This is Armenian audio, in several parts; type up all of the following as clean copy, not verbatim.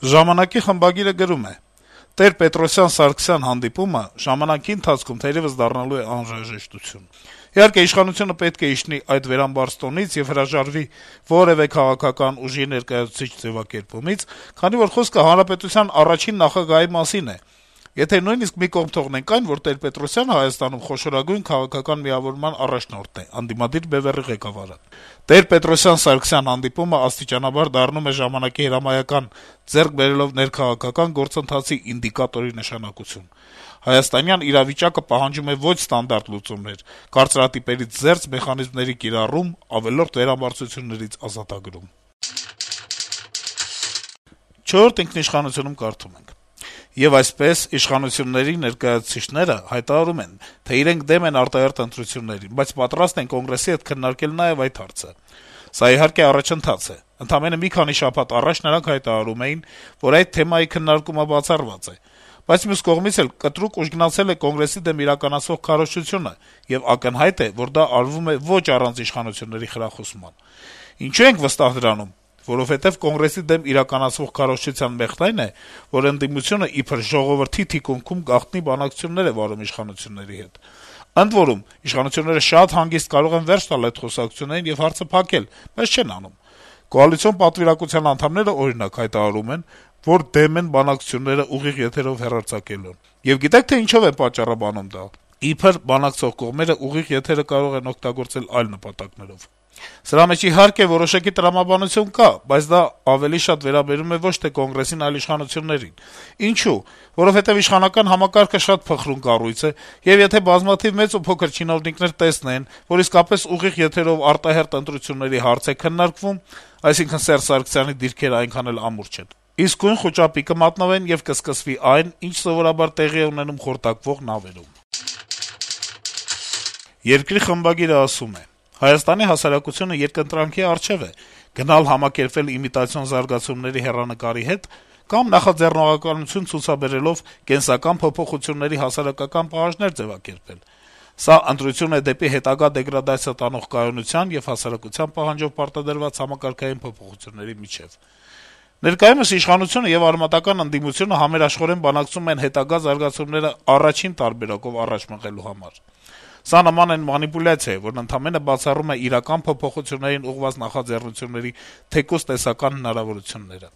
Ժամանակի խմբագիրը գրում է. - Տեր-Պետրոսյան-Սարգսյան հանդիպումը ժամանակի ընթացքում թերեւս դառնալու է անհրաժեշտություն: Իհարկե, իշխանությունը պետք է իջնի այդ վերամբարձ տոնից եւ հրաժարվի որեւէ քաղաքական ուժի ներկայացուցիչ ձեւակերպումից, քանի որ խոսքը հանրապետության առաջին նախագահի մասին է: Եթե նույնիսկ մի կողմ թողնենք այն, որ Տեր-Պետրոսյանը Հայաստանում խոշորագույն քաղաքական միավորման առաջնորդն է, ընդդիմադիր բեւեռի ղեկավարը: Տեր-Պետրոսյան-Սարգսյան հանդիպումը աստիճանաբար դառնում է ժամանակի հրամայական, ձեռք բերելով ներքաղաքական գործընթացի ինդիկատորի նշանակություն: Հայաստանյան իրավիճակը պահանջում է ոչ ստանդարտ լուծումներ, կարծրատիպերից զերծ մեխանիզմների կիրառում, ավելորդ վերամբարձություններից ազատագրում: «Չորրորդ ինքնիշխանություն»-ում կարդում ենք. - «Եվ այսպես, իշխանությունների ներկայացուցիչները հայտարարում են, թե իրենք դեմ են արտահերթ ընտրություններին, բայց պատրաստ են Կոնգրեսի հետ քննարկել նաեւ այդ հարցը: Սա, իհարկե, առաջընթաց է: Ընդամենը մի քանի շաբաթ առաջ նրանք հայտարարում էին, որ այդ թեմայի քննարկումը բացառված է: Բայց մյուս կողմից էլ կտրուկ ուժգնացել է Կոնգրեսի դեմ իրականացվող քարոզչությունը, եւ ակնհայտ է, որ դա արվում է ոչ առանց իշխանությունների խրախուսման: Ինչու ենք վստահ դրանում: Որովհետեւ Կոնգրեսի դեմ իրականացվող քարոզչության մեղքն այն է, որ ընդդիմությունը իբր ժողովրդի թիկունքում գաղտնի բանակցություններ է վարում իշխանությունների հետ: Ընդ որում, իշխանությունները շատ հանգիստ կարող են վերջ տալ այդ խոսակցություններին եւ հարցը փակել, բայց չեն անում: Կոալիցիոն պատվիրակության անդամները, օրինակ, հայտարարում են, որ դեմ են բանակցությունները ուղիղ եթերով հեռարձակելուն: Եվ գիտե՞ք, թե ինչով են պատճառաբանում դա: Իբր բանակցող կողմերը ուղիղ եթերը կարող են օգտագործել այլ նպատակներով: Սրա մեջ, իհարկե, որոշակի տրամաբանություն կա, բայց դա ավելի շատ վերաբերում է ոչ թե Կոնգրեսին, այլ իշխանություններին: Ինչո՞ւ: Որովհետեւ իշխանական համակարգը շատ փխրուն կառույց է, եւ եթե բազմաթիվ մեծ ու փոքր չինովնիկներ տեսնեն, որ իսկապես ուղիղ եթերով արտահերթ ընտրությունների հարց է քննարկվում, այսինքն Սերժ Սարգսյանի դիրքերը այնքան էլ ամուր չեն, իսկույն խուճապի կմատնվեն եւ կսկսվի այն, ինչ սովորաբար տեղի է ունենում խորտակվող նավերում»: «Երկիր» խմբագիրը ասում է. - «Հայաստանի հասարակությունը երկընտրանքի առջեւ է՝ գնալ համակերպվել իմիտացիոն զարգացումների հեռանկարի հետ կամ նախաձեռնողականություն ցուցաբերելով կենսական փոփոխությունների հասարակական պահանջներ ձեւակերպել: Սա ընտրություն է դեպի հետագա դեգրադացիա տանող կայունության եւ հասարակության պահանջով պարտադրված համակարգային փոփոխությունների միջեւ: Ներկայումս իշխանությունը եւ արմատական ընդդիմությունը համերաշխորեն բանակցում են հետագա զարգացումները առաջին տարբերակով առաջ մղելու համար: Սա նման է մանիպուլյացիայի, որն ընդամենը բացառում է իրական փոփոխություններին ուղղված նախաձեռնությունների թեկուզ տեսական հնարավորությունները: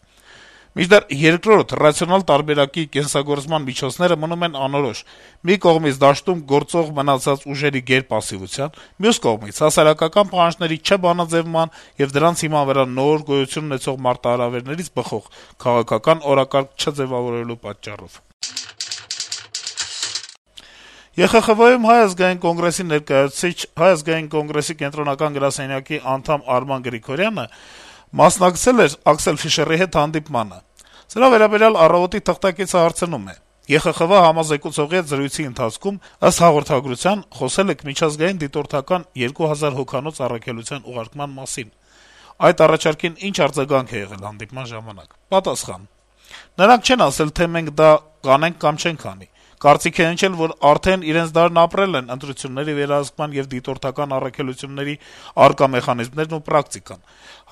Մինչդեռ երկրորդ, ռացիոնալ տարբերակի կենսագործման միջոցները մնում են անորոշ՝ մի կողմից դաշտում գործող մնացած ուժերի գերպասիվության, մյուս կողմից հասարակական պահանջների չբանաձեւման եւ դրանց հիման վրա նոր, գոյություն ունեցող մարտահրավերներից բխող քաղաքական օրակարգ չձեւավորելու պատճառով»: ԵԽԽՎ-ում Հայ ազգային կոնգրեսի ներկայացուցիչ, Հայ ազգային կոնգրեսի կենտրոնական գրասենյակի անդամ Արման Գրիգորյանը մասնակցել էր Աքսել Ֆիշերի հետ հանդիպմանը: Սրա վերաբերյալ «Առավոտ»-ի թղթակիցը հարցնում է. - «ԵԽԽՎ համազեկուցողի հետ զրույցի ընթացքում, ըստ հաղորդագրության, խոսել եք միջազգային դիտորդական 2000 հոգանոց առաքելության ուղարկման մասին: Այդ առաջարկին ինչ արձագանք է եղել հանդիպման ժամանակ»: Պատասխան. - «Նրանք չեն ասել, թե մենք դա կանենք կամ չենք անի: Կարծիք է հնչել, որ արդեն իրենց դարն ապրել են ընտրությունների վերահսկման եւ դիտորդական առաքելությունների առկա մեխանիզմներն ու պրակտիկան: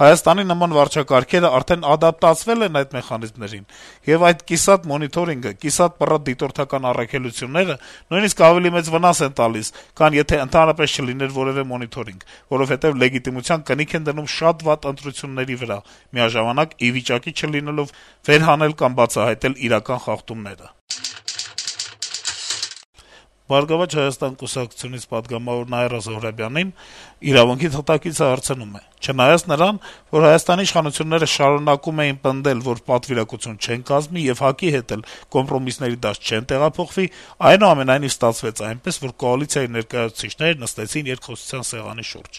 Հայաստանի նման վարչակարգերը արդեն ադապտացվել են այդ մեխանիզմներին, եւ այդ կիսատ մոնիթորինգը, կիսատ-պռատ դիտորդական առաքելությունները նույնիսկ ավելի մեծ վնաս են տալիս, քան եթե ընդհանրապես չլիներ որեւէ մոնիթորինգ, որովհետեւ լեգիտիմության կնիք են դնում շատ վատ ընտրությունների վրա, միաժամանակ ի վիճակի չլինելով վերհանել կամ բացահայտել իրական խախտումները»: «Բարգավաճ Հայաստան» կուսակցությունից պատգամավոր Նաիրա Զոհրաբյանին «Իրավունք»-ի թղթակիցը հարցնում է. - «Չնայած նրան, որ Հայաստանի իշխանությունները շարունակում էին պնդել, որ պատվիրակություն չեն կազմի եւ ՀԱԿ-ի հետ էլ կոմպրոմիսների դաշտ չեն տեղափոխվի, այնուամենայնիվ ստացվեց այնպես, որ կոալիցիայի ներկայացուցիչները նստեցին երկխոսության սեղանի շուրջ»: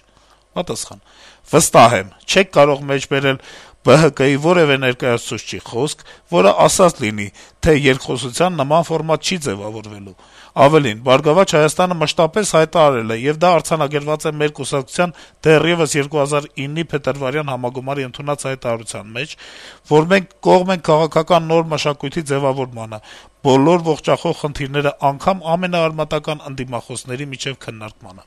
Պատասխան. - «Վստահ եմ, չեք կարող մեջբերել ԲՀԿ-ի որեւէ ներկայացուցչի խոսք, որը ասած լինի, թե երկխոսության նման ֆորմատ չի ձեւավորվելու: Ավելին, «Բարգավաճ Հայաստանը» մշտապես հայտարարել է, եւ դա արձանագրված է մեր կուսակցության դեռեւս 2009-ի փետրվարյան համագումարի ընդունած հայտարարության մեջ, որ մենք կողմ ենք քաղաքական նոր մշակույթի ձեւավորմանը, բոլոր ողջախոհ խնդիրները անգամ ամենաարմատական ընդդիմախոսների միջեւ քննարկմանը»: